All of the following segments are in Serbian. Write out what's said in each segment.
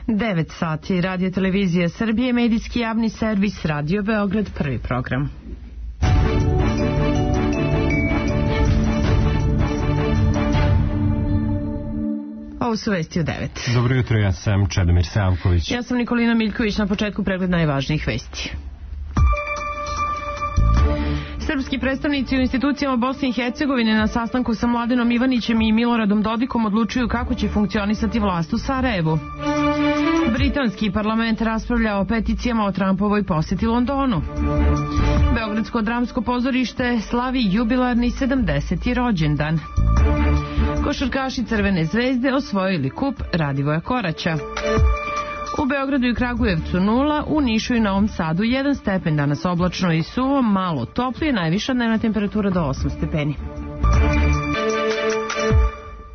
9 sati, Radio Televizija Srbije, medijski javni servis, Radio Beograd, prvi program. Ovo su vesti u 9. Dobro jutro, ja sam Čedomir Savković. Ja sam Nikolina Miljković, na početku pregled najvažnijih vesti. Srpski predstavnici u institucijama Bosne i Hercegovine na sastanku sa Mladenom Ivanićem i Miloradom Dodikom odlučuju kako će funkcionisati vlast u Sarajevu. Britanski parlament raspravlja o peticijama o Trumpovoj poseti Londonu. Beogradsko dramsko pozorište slavi jubilarni 70. rođendan. Košarkaši Crvene zvezde osvojili kup Radivoja Koraća. U Beogradu i Kragujevcu 0, u Nišu i Novom Sadu 1 stepen, danas oblačno i suvo, malo toplije, najviša dnevna temperatura do 8 stepeni.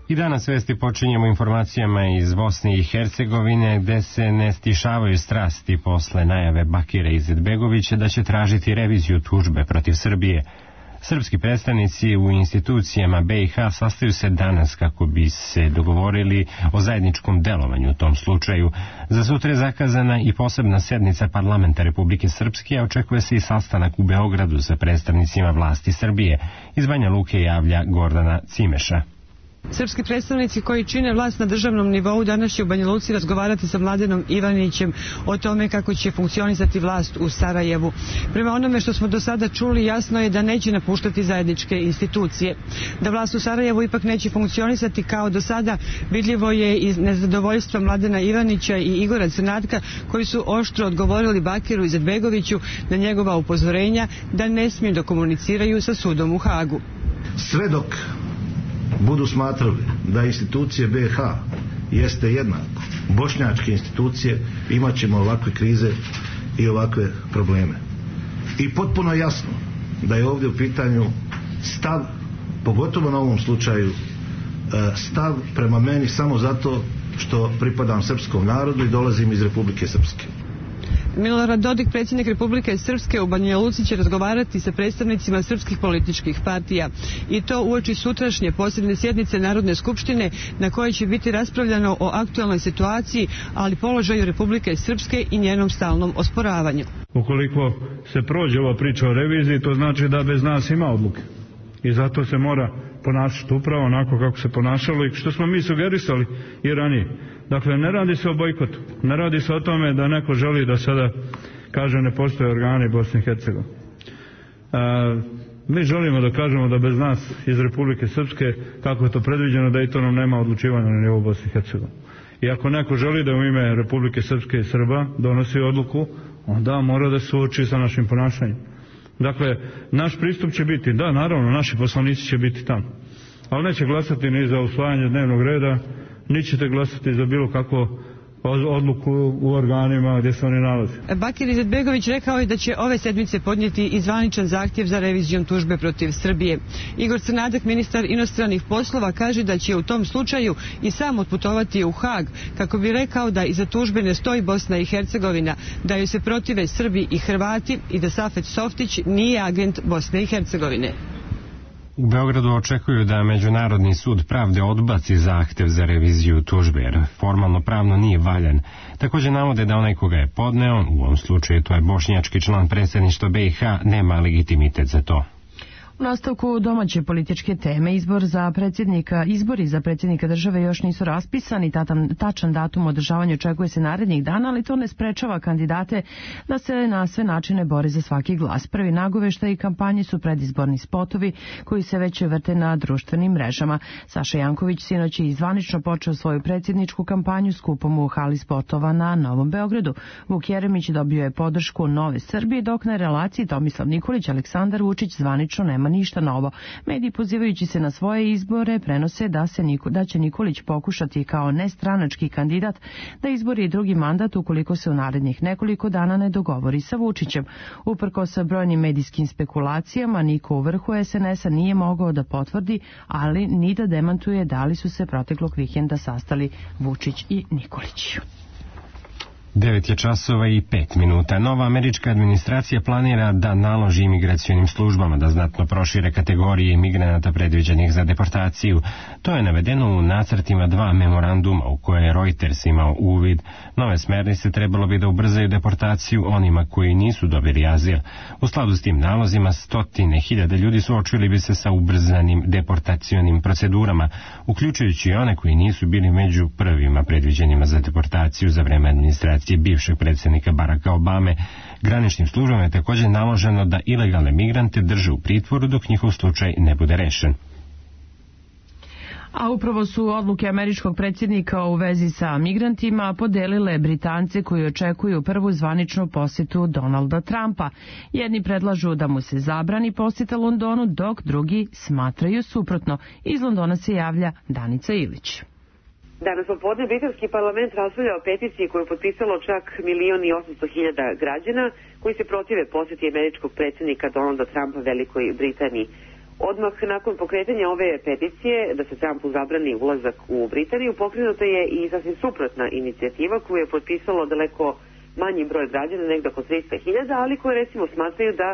I danas vesti počinjemo informacijama iz Bosne i Hercegovine, gde se ne stišavaju strasti posle najave Bakira Izetbegovića da će tražiti reviziju tužbe protiv Srbije. Srpski predstavnici u institucijama BiH sastaju se danas kako bi se dogovorili o zajedničkom delovanju u tom slučaju. Za sutra je zakazana i posebna sednica parlamenta Republike Srpske, a očekuje se i sastanak u Beogradu sa predstavnicima vlasti Srbije. Iz Banja Luke javlja Gordana Cimeša. Srpski predstavnici koji čine vlast na državnom nivou danas će u Banja Luci razgovarati sa Mladenom Ivanićem o tome kako će funkcionisati vlast u Sarajevu. Prema onome što smo do sada čuli, jasno je da neće napuštati zajedničke institucije. Da vlast u Sarajevu ipak neće funkcionisati kao do sada, vidljivo je iz nezadovoljstva Mladena Ivanića i Igora Crnatka, koji su oštro odgovorili Bakiru Izetbegoviću na njegova upozorenja da ne smiju da komuniciraju sa sudom u Hagu. Sve dok budu smatrali da institucije BiH jeste jednako bošnjačke institucije, imat ćemo ovakve krize i ovakve probleme. I potpuno jasno da je ovdje u pitanju stav, pogotovo na ovom slučaju, stav prema meni samo zato što pripadam srpskom narodu i dolazim iz Republike Srpske. Milorad Dodik, predsjednik Republike Srpske, u Banja Luci će razgovarati sa predstavnicima srpskih političkih partija i to uoči sutrašnje posebne sjednice Narodne skupštine na kojoj će biti raspravljano o aktualnoj situaciji, ali položaju Republike Srpske i njenom stalnom osporavanju. Ukoliko se prođe ova priča o reviziji, to znači da bez nas ima odluke. I zato se mora ponašati upravo onako kako se ponašalo i što smo mi sugerisali i ranije. Dakle, ne radi se o bojkotu, ne radi se o tome da neko želi da sada kaže ne postoje organi Bosne i Hercegovine. Mi želimo da kažemo da bez nas iz Republike Srpske, kako je to predviđeno, da i to nam nema odlučivanja na nivou Bosne i Hercegovine. I ako neko želi da u ime Republike Srpske i Srba donosi odluku, onda mora da se suoči sa našim ponašanjem. Dakle, naš pristup će biti, da, naravno, naši poslanici će biti tamo, ali neće glasati ni za usvajanje dnevnog reda, ni ćete glasati za bilo kako odluku u organima gdje se oni nalaze. Bakir Izetbegović rekao je da će ove sedmice podnijeti i zvaničan zahtjev za revizijom tužbe protiv Srbije. Igor Crnadak, ministar inostranih poslova, kaže da će u tom slučaju i sam otputovati u Hag kako bi rekao da iza tužbe ne stoji Bosna i Hercegovina, da joj se protive Srbi i Hrvati i da Safet Softić nije agent Bosne i Hercegovine. U Beogradu očekuju da Međunarodni sud pravde odbaci zahtev za reviziju tužbe, jer formalno pravno nije valjan. Također navode da onaj koga je podneo, u ovom slučaju to je bošnjački član predsjedništva BiH, nema legitimitet za to. U nastavku domaće političke teme, izbori za predsjednika države još nisu raspisani, tačan datum održavanja očekuje se narednih dana, ali to ne sprečava kandidate da se na sve načine bore za svaki glas. Prvi nagoveštaj kampanje su predizborni spotovi koji se već vrte na društvenim mrežama. Saša Janković sinoć je zvanično počeo svoju predsjedničku kampanju skupom u hali spotova na Novom Beogradu. Vuk Jeremić dobio je podršku Nove Srbije, dok na relaciji Tomislav Nikolić, Aleksandar Vučić zvanično nema ništa novo. Mediji, pozivajući se na svoje izbore, prenose da će Nikolić pokušati kao nestranački kandidat da izbori drugi mandat ukoliko se u narednih nekoliko dana ne dogovori sa Vučićem. Uprkos brojnim medijskim spekulacijama, niko u vrhu SNS-a nije mogao da potvrdi, ali ni da demantuje da li su se proteklog vikenda sastali Vučić i Nikolić. 9:05. Nova američka administracija planira da naloži imigracionim službama da znatno prošire kategorije imigranata predviđenih za deportaciju. To je navedeno u nacrtima 2 memoranduma u koje je Reuters imao uvid. Nove smernice trebalo bi da ubrzaju deportaciju onima koji nisu dobili azil. U skladu s tim nalozima 100.000 ljudi suočili bi se sa ubrzanim deportacionim procedurama, uključujući i one koji nisu bili među prvima predviđenima za deportaciju za vreme administracije bivšeg predsjednika Baracka Obame. Graničnim službama je također naloženo da ilegalne migrante drže u pritvoru dok njihov slučaj ne bude rešen. A upravo su odluke američkog predsjednika u vezi sa migrantima podelile Britance koji očekuju prvu zvaničnu posjetu Donalda Trumpa. Jedni predlažu da mu se zabrani posjeta Londonu, dok drugi smatraju suprotno. Iz Londona se javlja Danica Ilić. Danas popodne britanski parlament raspravlja o peticiji koju je potpisalo čak 1.800.000 građana koji se protive posjeti američkog predsjednika Donalda Trumpa Velikoj Britaniji. Odmah nakon pokretanja ove peticije da se Trumpu zabrani ulazak u Britaniju, pokrenuta je i sasvim suprotna inicijativa koju je potpisalo daleko manji broj građana, negdje oko 300.000, ali koje recimo smatraju da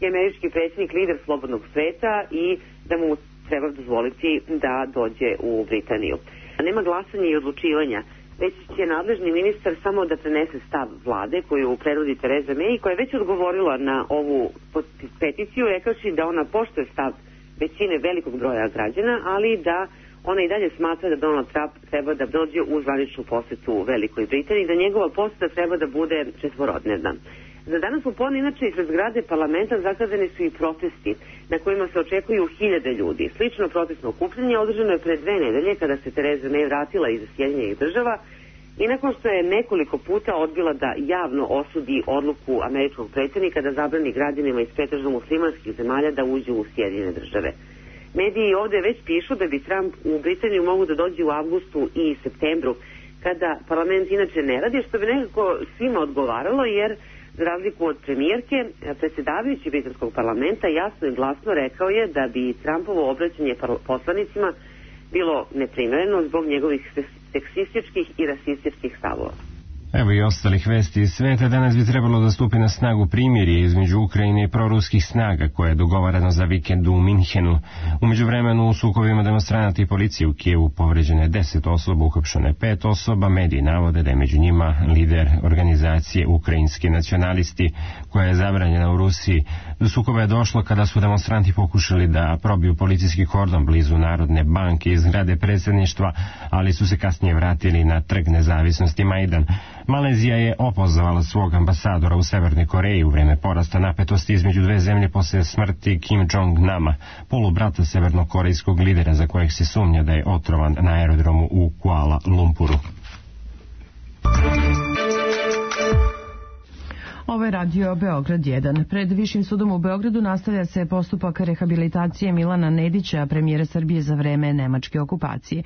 je američki predsjednik lider slobodnog sveta i da mu treba dozvoliti da dođe u Britaniju. Nema glasanja i odlučivanja, već će nadležni ministar samo da prenese stav vlade koju predvodi Theresa May, koja je već odgovorila na ovu peticiju, rekavši da ona poštuje stav većine velikog broja građana, ali da ona i dalje smatra da Donald Trump treba da dođe u zvaničnu posjetu Velikoj Britaniji, da njegova posjeta treba da bude četvorodnevna. Za danas popodne, inače, ispred zgrade parlamenta zakazani su i protesti na kojima se očekuju 1.000 ljudi. Slično protestno okupljanje održano je pre 2 nedelje kada se Theresa May vratila iz Sjedinjenih Država i nakon što je nekoliko puta odbila da javno osudi odluku američkog predsjednika da zabrani građanima iz pretežno muslimanskih zemalja da uđu u Sjedinjene Države. Mediji ovdje već pišu da bi Trump u Britaniju mogu da dođe u avgustu i septembru, kada parlament inače ne radi, što bi nekako svima odgovaralo, jer za razliku od premijerke, predsjedavajući britanskog parlamenta jasno i glasno rekao je da bi Trumpovo obraćanje poslanicima bilo neprimjereno zbog njegovih seksističkih i rasističkih stavova. Evo i ostalih vesti iz sveta. Danas bi trebalo da stupi na snagu primirje između Ukrajine i proruskih snaga koje je dogovarano za vikend u Minhenu. U međuvremenu u sukobima demonstranata i policije u Kijevu povređeno je 10 osoba, uhapšeno je 5 osoba. Mediji navode da je među njima lider organizacije Ukrajinski nacionalisti koja je zabranjena u Rusiji. Do sukoba je došlo kada su demonstranti pokušali da probiju policijski kordon blizu Narodne banke iz zgrade predsjedništva, ali su se kasnije vratili na Trg nezavisnosti Majdan. Malezija je opozvala svog ambasadora u Severnoj Koreji u vreme porasta napetosti između dve zemlje posle smrti Kim Jong-nama, polubrata severnokorejskog lidera za kojeg se sumnja da je otrovan na aerodromu u Kuala Lumpuru. Ovo je radio Beograd 1. Pred Višim sudom u Beogradu nastavlja se postupak rehabilitacije Milana Nedića, premijera Srbije za vreme nemačke okupacije.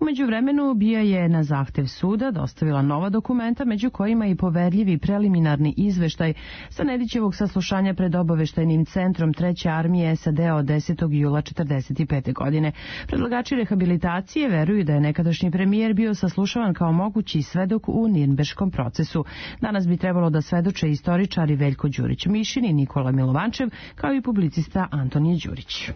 U međuvremenu BIA je na zahtev suda dostavila nova dokumenta, među kojima i poverljivi preliminarni izveštaj sa Nedićevog saslušanja pred obaveštajnim centrom 3. armije SAD od 10. jula 1945. godine. Predlagači rehabilitacije veruju da je nekadašnji premijer bio saslušavan kao mogući svedok u Nirnberškom procesu. Danas bi trebalo da svedoče istoričari Veljko Đurić-Mišin i Nikola Milovančev, kao i publicista Antonije Đurić.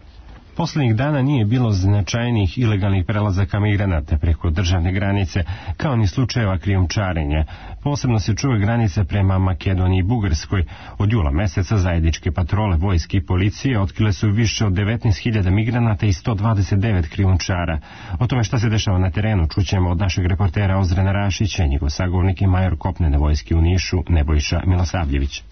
Poslednjih dana nije bilo značajnih ilegalnih prelazaka migranata preko državne granice, kao ni slučajeva krijumčarenja. Posebno se čuva granica prema Makedoniji i Bugarskoj. Od jula meseca zajedničke patrole vojske i policije otkrile su više od 19.000 migranata i 129 krijumčara. O tome šta se dešava na terenu čućemo od našeg reportera Ozrena Rašića, njegov sagovornik i major kopnene vojske u Nišu Nebojša Milosavljević.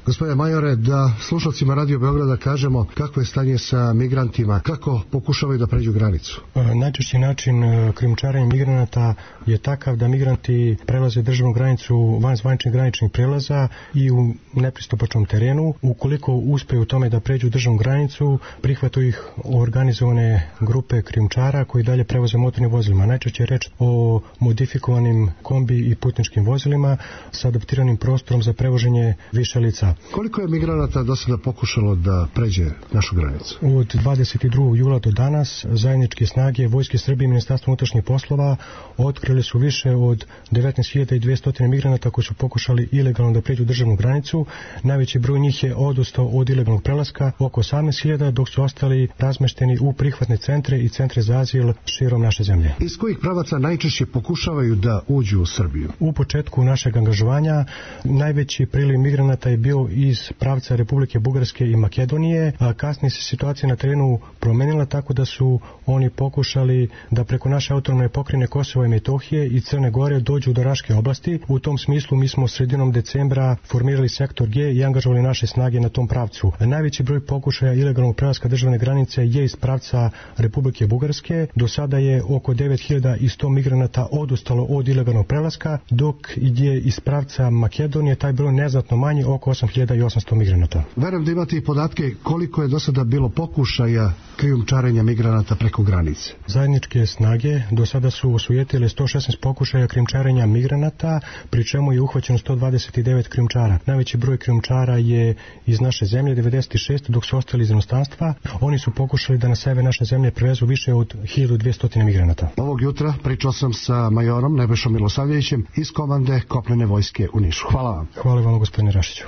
Gospodine majore, da slušalcima Radio Beograda kažemo kako je stanje sa migrantima, kako pokušavaju da pređu granicu? Najčešći način krijumčarenja migranata je takav da migranti prelaze državnu granicu van zvaničnih graničnih prelaza i u nepristupačnom terenu. Ukoliko uspeju u tome da pređu državnu granicu, prihvataju ih organizovane grupe krijumčara koji dalje prevoze motornim vozilima. Najčešće je reč o modifikovanim kombi i putničkim vozilima sa adaptiranim prostorom za prevoženje više lica. migranata. Koliko je migranata do sada pokušalo da pređe našu granicu? Od 22. jula do danas zajedničke snage Vojske Srbije i Ministarstva unutrašnjih poslova otkrili su više od 19.200 migranata koji su pokušali ilegalno da pređu državnu granicu. Najveći broj njih je odustao od ilegalnog prelaska, oko 18.000, dok su ostali razmešteni u prihvatne centre i centre za azil širom naše zemlje. Iz kojih pravaca najčešće pokušavaju da uđu u Srbiju? U početku našeg angažovanja najveći priliv migranata je bio iz pravca Republike Bugarske i Makedonije, a kasnije se situacija na terenu promenila tako da su oni pokušali da preko naše autonomne pokrajine Kosova i Metohije i Crne Gore dođu do Raške oblasti. U tom smislu mi smo sredinom decembra formirali sektor G i angažovali naše snage na tom pravcu. Najveći broj pokušaja ilegalnog prelaska državne granice je iz pravca Republike Bugarske. Do sada je oko 9.100 migranata odustalo od ilegalnog prelaska, dok je iz pravca Makedonije taj broj neznatno manji, oko 8.800 migranata. Verujem da imate i podatke koliko je do sada bilo pokušaja krijumčarenja migranata preko granice. Zajedničke snage do sada su osujetile 116 pokušaja krijumčarenja migranata, pri čemu je uhvaćeno 129 krijumčara. Najveći broj krijumčara je iz naše zemlje, 96, dok su ostali iz inostranstva. Oni su pokušali da na sebe naše zemlje prevezu više od 1200 migranata. Ovog jutra pričao sam sa majorom Nebojšom Milosavljevićem iz komande Kopnene vojske u Nišu. Hvala vam. Hvala vam, gospodine Rašiću.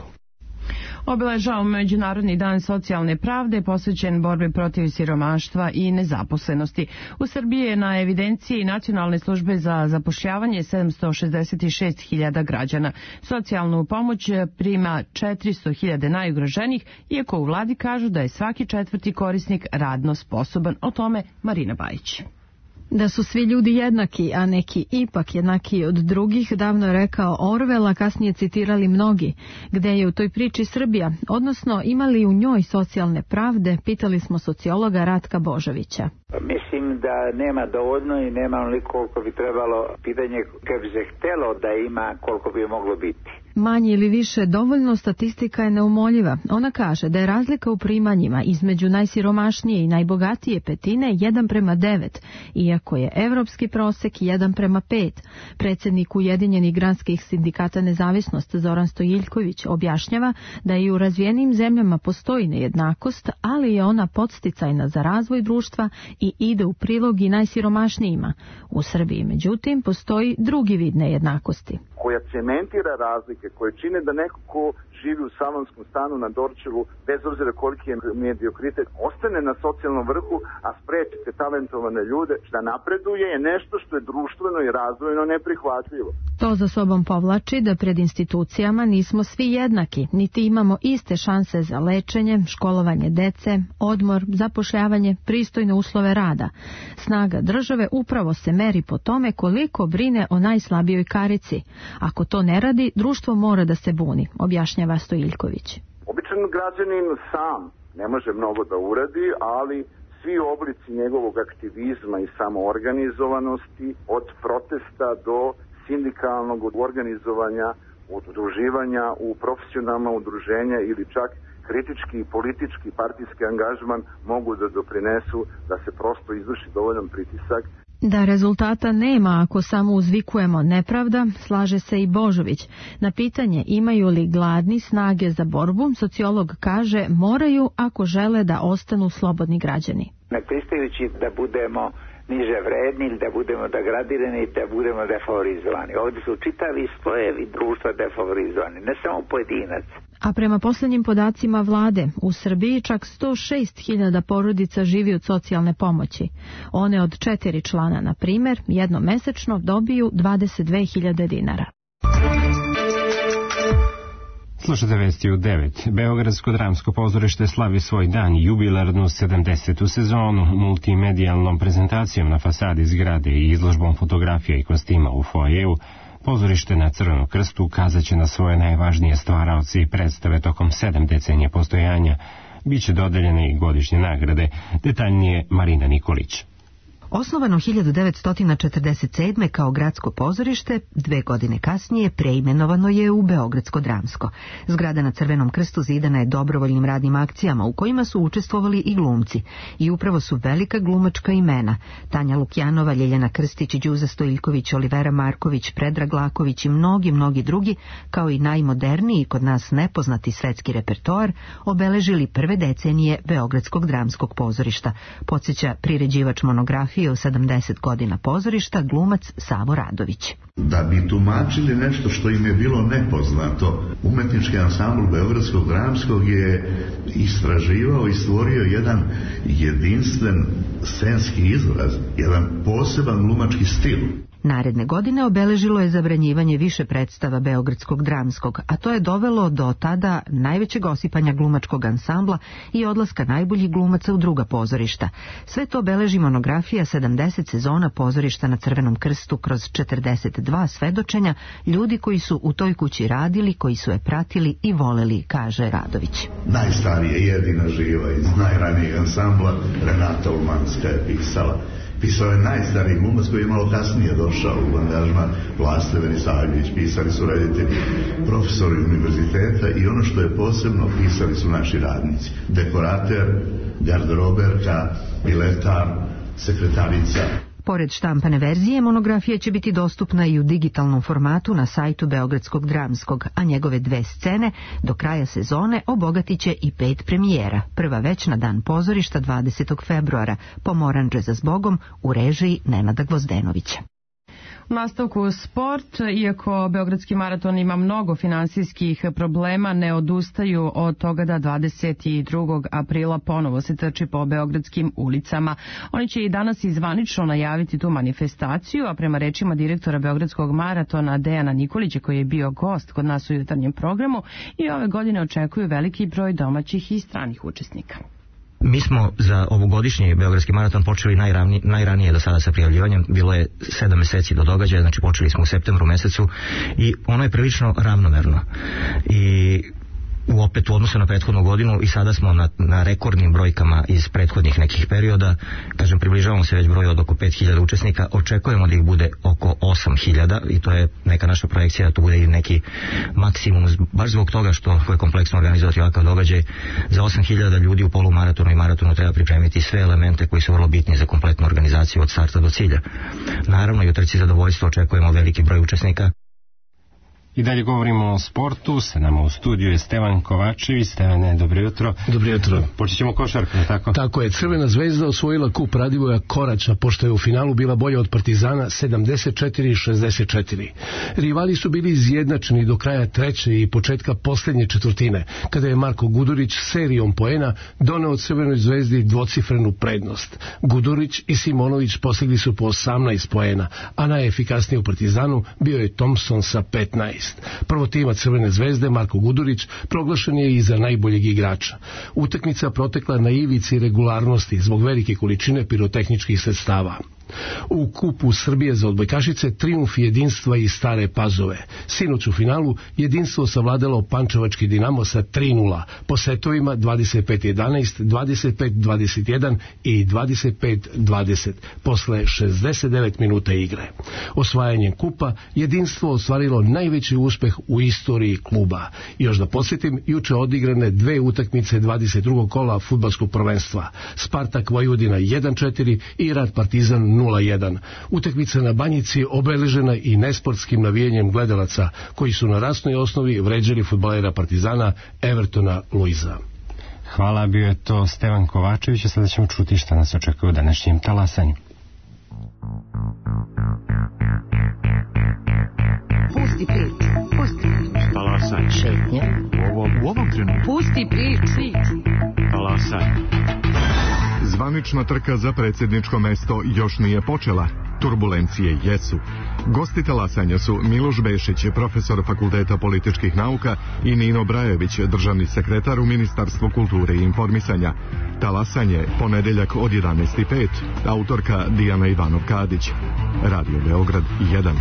Obeležava Međunarodni dan socijalne pravde posvećen borbi protiv siromaštva i nezaposlenosti. U Srbiji je na evidenciji Nacionalne službe za zapošljavanje 766.000 građana. Socijalnu pomoć prima 400.000 najugroženijih, iako u vladi kažu da je svaki četvrti korisnik radno sposoban. O tome Marina Bajić. Da su svi ljudi jednaki, a neki ipak jednaki od drugih, davno je rekao Orwell, a kasnije citirali mnogi. Gde je u toj priči Srbija, odnosno imali u njoj socijalne pravde, pitali smo sociologa Ratka Božovića. Mislim da nema dovoljno i nema onoliko koliko bi trebalo. Pitanje kad bi se htelo da ima, koliko bi moglo biti. Manje ili više dovoljno, statistika je neumoljiva. Ona kaže da je razlika u primanjima između najsiromašnije i najbogatije petine 1:9, iako je evropski prosek 1:5. Predsjednik Ujedinjenih granskih sindikata Nezavisnost Zoran Stojiljković objašnjava da i u razvijenim zemljama postoji nejednakost, ali je ona podsticajna za razvoj društva i ide u prilog i najsiromašnijima. U Srbiji, međutim, postoji drugi vid nejednakosti, koja cementira razlike, koje čine da neko ko živi u salonskom stanu na Dorćolu, bez obzira koliki je mediokritet, ostane na socijalnom vrhu, a sprečite talentovane ljude da napreduje, je nešto što je društveno i razvojno neprihvatljivo. To za sobom povlači da pred institucijama nismo svi jednaki, niti imamo iste šanse za lečenje, školovanje dece, odmor, zapošljavanje, pristojne uslove rada. Snaga države upravo se meri po tome koliko brine o najslabijoj karici. Ako to ne radi, društvo mora da se buni, objašnjava Stojiljković. Običan građanin sam ne može mnogo da uradi, ali svi oblici njegovog aktivizma i samoorganizovanosti, od protesta do sindikalnog organizovanja, udruživanja u profesionalna udruženja ili čak kritički i politički partijski angažman mogu da doprinesu da se prosto izvrši dovoljan pritisak. Da rezultata nema ako samo uzvikujemo nepravda, slaže se i Božović. Na pitanje imaju li gladni snage za borbu, sociolog kaže moraju ako žele da ostanu slobodni građani. Ne pristajući da budemo niže vredni ili da budemo degradirani i da budemo defavorizovani. Ovdje su čitavi slojevi društva defavorizovani, ne samo pojedinac. A prema posljednjim podacima vlade, u Srbiji čak 106.000 porodica živi od socijalne pomoći. One od 4 člana, na primjer, jednomesečno dobiju 22.000 dinara. Slušate vesti u 9. Beogradsko dramsko pozorište slavi svoj dan, jubilarnu 70. sezonu, multimedijalnom prezentacijom na fasadi zgrade i izložbom fotografija i kostima u foajeu. Pozorište na Crvenom krstu ukazat će na svoje najvažnije stvaraoce i predstave tokom 7 decenija postojanja. Biće dodeljene i godišnje nagrade, detaljnije Marina Nikolić. Osnovano 1947. kao gradsko pozorište, 2 godine kasnije preimenovano je u Beogradsko dramsko. Zgrada na Crvenom krstu zidana je dobrovoljnim radnim akcijama u kojima su učestvovali i glumci. I upravo su velika glumačka imena: Tanja Lukjanova, Ljeljana Krstić, Đuza Stojiljković, Olivera Marković, Predrag Laković i mnogi drugi, kao i najmoderniji kod nas nepoznati svetski repertoar, obeležili prve decenije Beogradskog dramskog pozorišta, podsjeća priređivač monografije o 70 godina pozorišta, glumac Savo Radović. Da bi tumačili nešto što im je bilo nepoznato, umetnički ansambl Beogradskog dramskog je istraživao i stvorio jedan jedinstven scenski izraz, jedan poseban glumački stil. Naredne godine obeležilo je zabranjivanje više predstava Beogradskog dramskog, a to je dovelo do tada najvećeg osipanja glumačkog ansambla i odlaska najboljih glumaca u druga pozorišta. Sve to beleži monografija 70 sezona pozorišta na Crvenom krstu kroz 42 svedočenja ljudi koji su u toj kući radili, koji su je pratili i voleli, kaže Radović. Najstarija jedina živa iz najranijeg ansambla Renata Ulmanska je pisala. Pisao je najstariji glumac koji je malo kasnije došao u angažman, Vlaste Venisavljević, pisali su reditelji, profesori univerziteta i ono što je posebno, pisali su naši radnici. Dekorater, garderoberka, piletar, sekretarica. Pored štampane verzije, monografija će biti dostupna i u digitalnom formatu na sajtu Beogradskog dramskog, a njegove 2 scene do kraja sezone obogatit će i 5 premijera. Prva već na dan pozorišta 20. februara, Pomoranđe za zbogom u režiji Nenada Gvozdenovića. U nastavku sport, iako Beogradski maraton ima mnogo finansijskih problema, ne odustaju od toga da 22. aprila ponovo se trči po beogradskim ulicama. Oni će i danas zvanično najaviti tu manifestaciju, a prema rečima direktora Beogradskog maratona Dejana Nikolića, koji je bio gost kod nas u jutarnjem programu, i ove godine očekuju veliki broj domaćih i stranih učesnika. Mi smo za ovogodišnji Beogradski maraton počeli najranije do sada sa prijavljivanjem. Bilo je 7 meseci do događaja, znači počeli smo u septembru mesecu i ono je prilično ravnomerno. I opet u odnosu na prethodnu godinu i sada smo na rekordnim brojkama iz prethodnih nekih perioda. Kažem, približavamo se već broju od oko 5000 učesnika. Očekujemo da ih bude oko 8000 i to je neka naša projekcija da to bude i neki maksimum, baš zbog toga što je kompleksno organizovati ovakav događaj. Za 8000 ljudi u polumaratonu i maratonu treba pripremiti sve elemente koji su vrlo bitni za kompletnu organizaciju od starta do cilja. Naravno i u trci zadovoljstva očekujemo veliki broj učesnika. I dalje govorimo o sportu, sa nama u studiju je Stevan Kovačević. Stevane, dobro jutro. Dobro jutro. Počet ćemo košarkom, tako? Tako je, Crvena zvezda osvojila kup Radivoja Korača, pošto je u finalu bila bolja od Partizana 74-64. Rivali su bili izjednačeni do kraja treće i početka posljednje četvrtine, kada je Marko Gudurić serijom poena doneo Crvenoj zvezdi dvocifrenu prednost. Gudurić i Simonović postigli su po 18 poena, a najefikasniji u Partizanu bio je Thompson sa 15. Prvotimac Crvene zvezde, Marko Gudurić, proglašen je i za najboljeg igrača. Utakmica protekla na ivici regularnosti zbog velike količine pirotehničkih sredstava. U kupu Srbije za odbojkašice trijumf jedinstva i Stare Pazove. Sinoć u finalu jedinstvo savladalo pančevački Dinamo sa 3:0 po setovima 25-11, 25-21 i 25-20 posle 69 minuta igre. Osvajanjem kupa jedinstvo ostvarilo najveći uspeh u istoriji kluba. Još da podsjetim, juče odigrane 2 utakmice 22. kola fudbalskog prvenstva. Spartak Vojvodina 1-4 i Rad Partizan 0:1. Utakmica na Banjici obeležena i nesportskim navijenjem gledalaca koji su na rasnoj osnovi vređali fudbalera Partizana Evertona Luiza. Hvala, bio je to Stevan Kovačević, a sada ćemo čuti šta nas očekuje u današnjem talasanju. Pusti priču, pusti priču. Talasanje. Šetnje. U ovom trenutku. Pusti priču. Talasanje. Zvanična trka za predsjedničko mesto još nije počela. Turbulencije jesu. Gosti talasanja su Miloš Bešić, profesor Fakulteta političkih nauka, i Nino Brajević, državni sekretar u Ministarstvu kulture i informisanja. Talasanje, ponedeljak od 11:05. Autorka Dijana Ivanov-Kadić. Radio Beograd 1.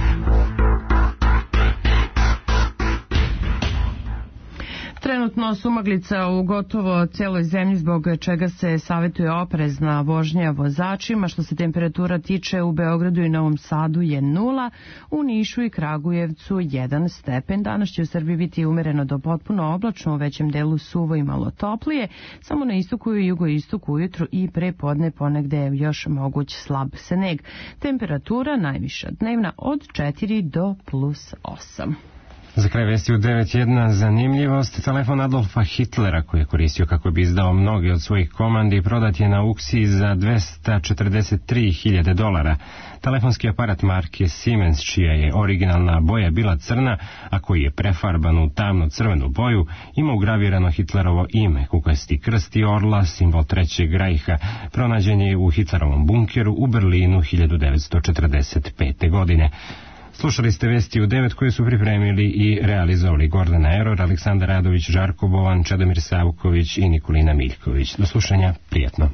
Trenutno sumaglica u gotovo celoj zemlji, zbog čega se savjetuje oprezna vožnja vozačima. Što se temperatura tiče, u Beogradu i Novom Sadu je 0, u Nišu i Kragujevcu 1 stepen. Danas će u Srbiji biti umereno do potpuno oblačno, u većem delu suvo i malo toplije. Samo na istoku i jugoistoku ujutru i pre podne ponegde je još moguć slab sneg. Temperatura najviša dnevna od 4 do +8. Za kraj vesti u 9.1 zanimljivost. Telefon Adolfa Hitlera, koji je koristio kako bi izdao mnoge od svojih komandi, prodat je na aukciji za $243.000. Telefonski aparat marke Siemens, čija je originalna boja bila crna, a koji je prefarban u tamno crvenu boju, ima ugravirano Hitlerovo ime, kukasti krst i orla, simbol Trećeg rajha. Pronađen je u Hitlerovom bunkeru u Berlinu 1945. godine. Slušali ste vesti u 9 koje su pripremili i realizovali Gordana Eror, Aleksandar Radović, Žarko Bovan, Čedomir Savković i Nikolina Miljković. Do slušanja, prijatno.